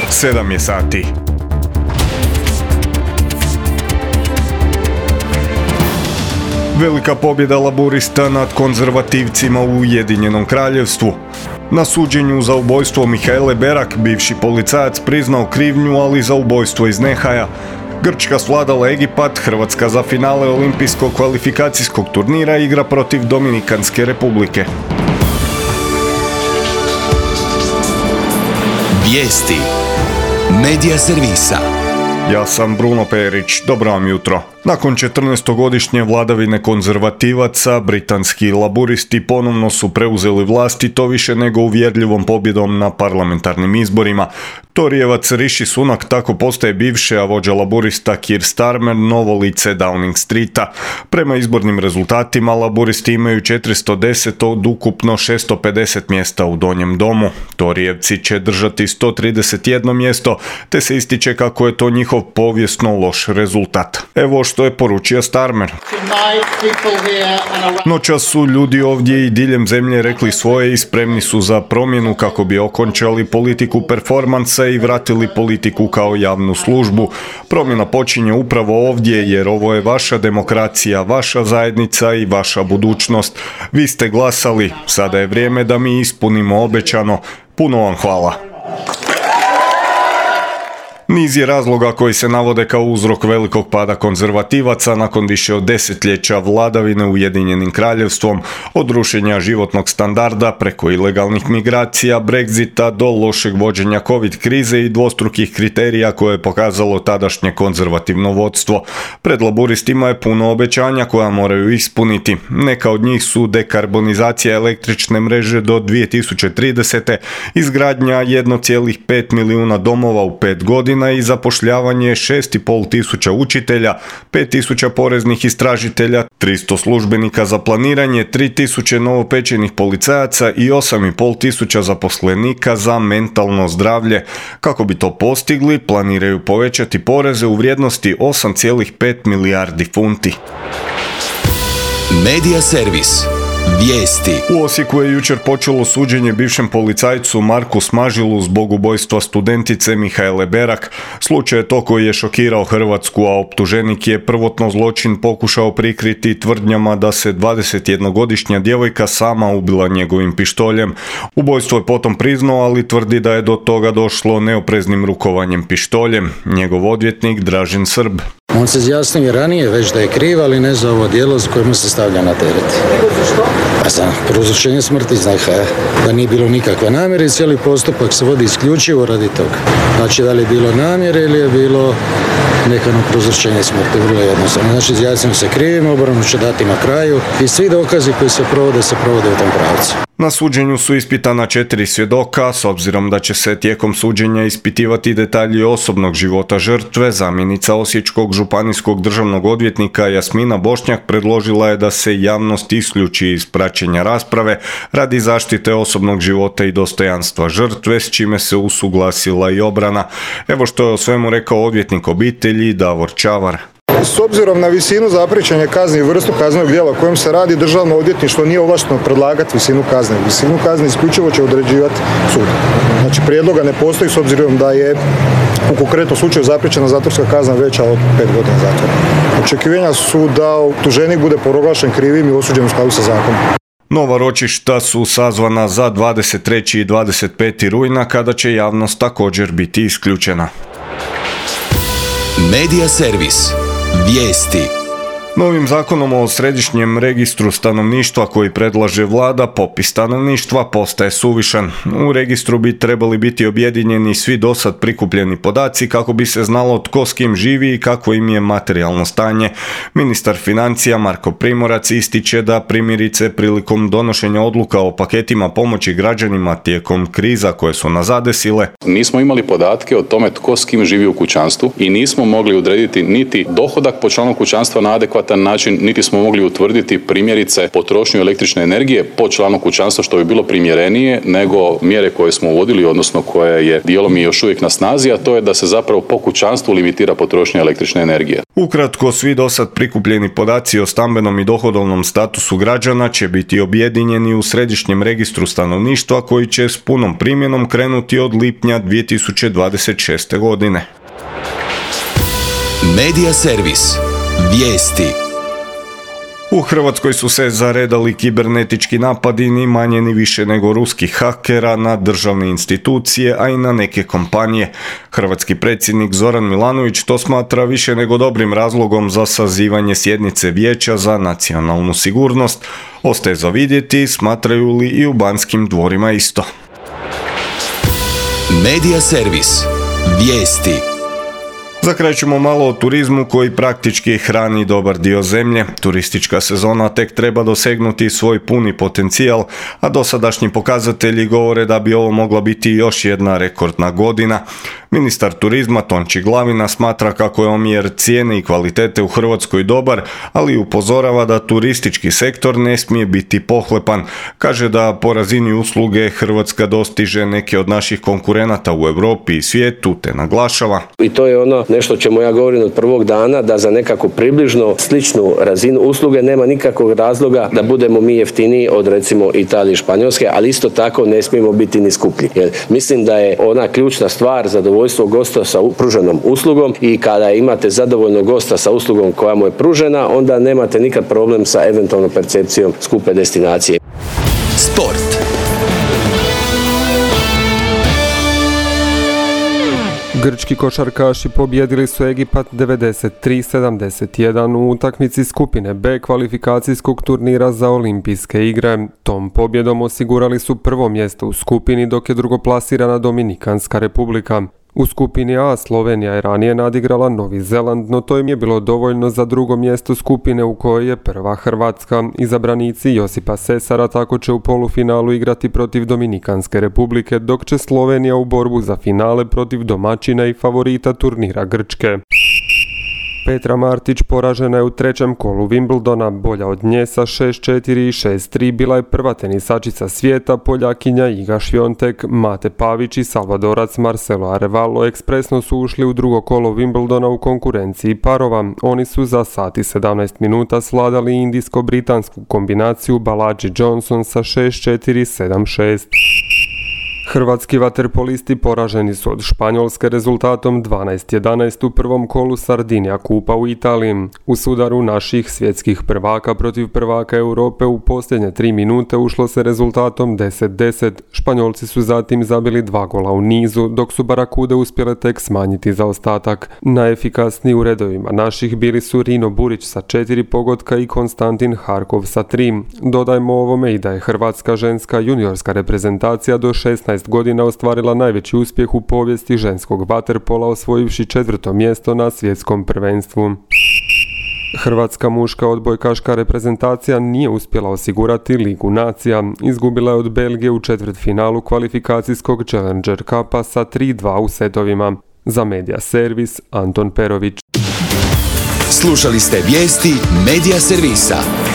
7 je sati. Velika pobjeda laburista nad konzervativcima u Ujedinjenom Kraljevstvu. Na suđenju za ubojstvo Mihaele Berak bivši policajac priznao krivnju, ali za ubojstvo iz nehaja. Grčka svladala Egipat, Hrvatska za finale olimpijskog kvalifikacijskog turnira igra protiv Dominikanske republike. Vijesti Medija servisa. Ja sam Bruno Perić, dobro vam jutro. Nakon 14-godišnje vladavine konzervativaca, britanski laburisti ponovno su preuzeli vlast i to više nego uvjerljivom pobjedom na parlamentarnim izborima. Torijevac Rishi Sunak tako postaje bivši, a vođa laburista Keir Starmer novo lice Downing Streeta. Prema izbornim rezultatima laburisti imaju 410 od ukupno 650 mjesta u Donjem domu. Torijevci će držati 131 mjesto, te se ističe kako je to njihov povijesno loš rezultat. Evo što je poručio Starmer. Noćas su ljudi ovdje i diljem zemlje rekli svoje i spremni su za promjenu kako bi okončali politiku performansa i vratili politiku kao javnu službu. Promjena počinje upravo ovdje jer ovo je vaša demokracija, vaša zajednica i vaša budućnost. Vi ste glasali, sada je vrijeme da mi ispunimo obećano. Puno vam hvala. Niz je razloga koji se navode kao uzrok velikog pada konzervativaca nakon više od desetljeća vladavine Ujedinjenim Kraljevstvom, od rušenja životnog standarda preko ilegalnih migracija, Brexita do lošeg vođenja COVID krize i dvostrukih kriterija koje je pokazalo tadašnje konzervativno vodstvo. Pred laburistima je puno obećanja koja moraju ispuniti. Neka od njih su dekarbonizacija električne mreže do 2030. izgradnja 1,5 milijuna domova u 5 godina i zapošljavanje 6,5 tisuća učitelja, 5 tisuća poreznih istražitelja, 300 službenika za planiranje, 3 tisuće novopečenih policajaca i 8,5 tisuća zaposlenika za mentalno zdravlje. Kako bi to postigli, planiraju povećati poreze u vrijednosti 8,5 milijardi funti. Medija servis. Vijesti. U Osijeku je jučer počelo suđenje bivšem policajcu Marku Smažilu zbog ubojstva studentice Mihaele Berak. Slučaj je to koji je šokirao Hrvatsku, a optuženik je prvotno zločin pokušao prikriti tvrdnjama da se 21-godišnja djevojka sama ubila njegovim pištoljem. Ubojstvo je potom priznao, ali tvrdi da je do toga došlo neopreznim rukovanjem pištoljem. Njegov odvjetnik Dražen Srb. On se izjasnio ranije već da je kriv, ali ne za ovo djelo s kojim se stavlja na teret. A za prouzročenje smrti da nije bilo nikakve namjere i cijeli postupak se vodi isključivo radi toga. Znači da li je bilo namjere ili je bilo nekano prouzročenje smrti, vrlo jednostavno. Znači izjasnio se krivim, obranu će dati na kraju i svi dokazi koji se provode u tom pravcu. Na suđenju su ispitana 4 svjedoka, s obzirom da će se tijekom suđenja ispitivati detalji osobnog života žrtve. Zamjenica Osječkog županijskog državnog odvjetnika Jasmina Bošnjak predložila je da se javnost isključi iz praćenja rasprave radi zaštite osobnog života i dostojanstva žrtve, s čime se usuglasila i obrana. Evo što je o svemu rekao odvjetnik obitelji Davor Čavar. S obzirom na visinu zapriječene kazne i vrstu kaznenog djela o kojem se radi, Državno odvjetništvo nije ovlašteno predlagati visinu kazne. Visinu kazne isključivo će određivati sud. Znači prijedloga ne postoji s obzirom da je u konkretnom slučaju zapriječena zatvorska kazna veća od 5 godina zatvora. Očekivanja su da optuženik bude proglašen krivim i osuđen u skladu sa zakonom. Nova ročišta su sazvana za 23. i 25. rujna kada će javnost također biti isključena. Medija servis. Vijesti. Novim zakonom o središnjem registru stanovništva koji predlaže vlada, popis stanovništva postaje suvišan. U registru bi trebali biti objedinjeni svi dosad prikupljeni podaci kako bi se znalo tko s kim živi i kakvo im je materijalno stanje. Ministar financija Marko Primorac ističe da primjerice prilikom donošenja odluka o paketima pomoći građanima tijekom kriza koje su nas zadesile. Nismo imali podatke o tome tko s kim živi u kućanstvu i nismo mogli odrediti niti dohodak po članu kućanstva na adekvatan adekvatan način, niti smo mogli utvrditi primjerice potrošnju električne energije po članu kućanstva, što bi bilo primjerenije nego mjere koje smo uvodili, odnosno koje je dijelom i još uvijek na snazi, a to je da se zapravo po kućanstvu limitira potrošnja električne energije. Ukratko, svi dosad prikupljeni podaci o stambenom i dohodovnom statusu građana će biti objedinjeni u Središnjem registru stanovništva koji će s punom primjenom krenuti od lipnja 2026. godine. Medija servis. Vijesti. U Hrvatskoj su se zaredali kibernetički napadi ni manje ni više nego ruskih hakera na državne institucije, a i na neke kompanije. Hrvatski predsjednik Zoran Milanović to smatra više nego dobrim razlogom za sazivanje sjednice Vijeća za nacionalnu sigurnost. Ostaje za vidjeti smatraju li i u Banskim dvorima isto. Medija servis. Vijesti. Za kraj ćemo malo o turizmu koji praktički hrani dobar dio zemlje. Turistička sezona tek treba dosegnuti svoj puni potencijal, a dosadašnji pokazatelji govore da bi ovo mogla biti još jedna rekordna godina. Ministar turizma Tonči Glavina smatra kako je omjer cijene i kvalitete u Hrvatskoj dobar, ali upozorava da turistički sektor ne smije biti pohlepan. Kaže da po razini usluge Hrvatska dostiže neke od naših konkurenata u Europi i svijetu, te naglašava. I to je ono nešto čemu ja govorim od prvog dana, da za nekako približno sličnu razinu usluge nema nikakvog razloga da budemo mi jeftiniji od recimo Italije i Španjolske, ali isto tako ne smijemo biti ni skuplji. Jer mislim da je ona ključna stvar zadovoljstvo gosta sa pruženom uslugom, i kada imate zadovoljnog gosta sa uslugom koja mu je pružena, onda nemate nikad problem sa eventualnom percepcijom skupe destinacije. Sport. Grčki košarkaši pobijedili su Egipat 93-71 u utakmici skupine B kvalifikacijskog turnira za olimpijske igre. Tom pobjedom osigurali su prvo mjesto u skupini, dok je drugoplasirana Dominikanska republika. U skupini A Slovenija je ranije nadigrala Novi Zeland, no to im je bilo dovoljno za drugo mjesto skupine u kojoj je prva Hrvatska. Izabranici Josipa Sesara tako će u polufinalu igrati protiv Dominikanske republike, dok će Slovenija u borbu za finale protiv domaćina i favorita turnira Grčke. Petra Martić poražena je u trećem kolu Wimbledona, bolja od nje sa 6-4 i 6-3 bila je prva tenisačica svijeta, Poljakinja Iga Šviontek. Mate Pavić i Salvadorac Marcelo Arevalo ekspresno su ušli u drugo kolo Wimbledona u konkurenciji parova. Oni su za sat i 17 minuta svladali indijsko-britansku kombinaciju Balaji Johnson sa 6-4 i 7-6. Hrvatski vaterpolisti poraženi su od Španjolske rezultatom 12-11 u prvom kolu Sardinija Kupa u Italiji. U sudaru naših svjetskih prvaka protiv prvaka Europe u posljednje 3 minute ušlo se rezultatom 10-10. Španjolci su zatim zabili 2 gola u nizu, dok su Barakude uspjele tek smanjiti zaostatak. Najefikasniji u redovima naših bili su Rino Burić sa 4 pogotka i Konstantin Harkov sa 3. Dodajmo ovome i da je hrvatska ženska juniorska reprezentacija do 16 godina ostvarila najveći uspjeh u povijesti ženskog vaterpola, osvojivši 4. mjesto na svjetskom prvenstvu. Hrvatska muška odbojkaška reprezentacija nije uspjela osigurati Ligu nacija. Izgubila je od Belgije u četvrtfinalu kvalifikacijskog Challenger Cupa sa 3-2 u setovima. Za Medija servis Anton Perović. Slušali ste vijesti Medija servisa.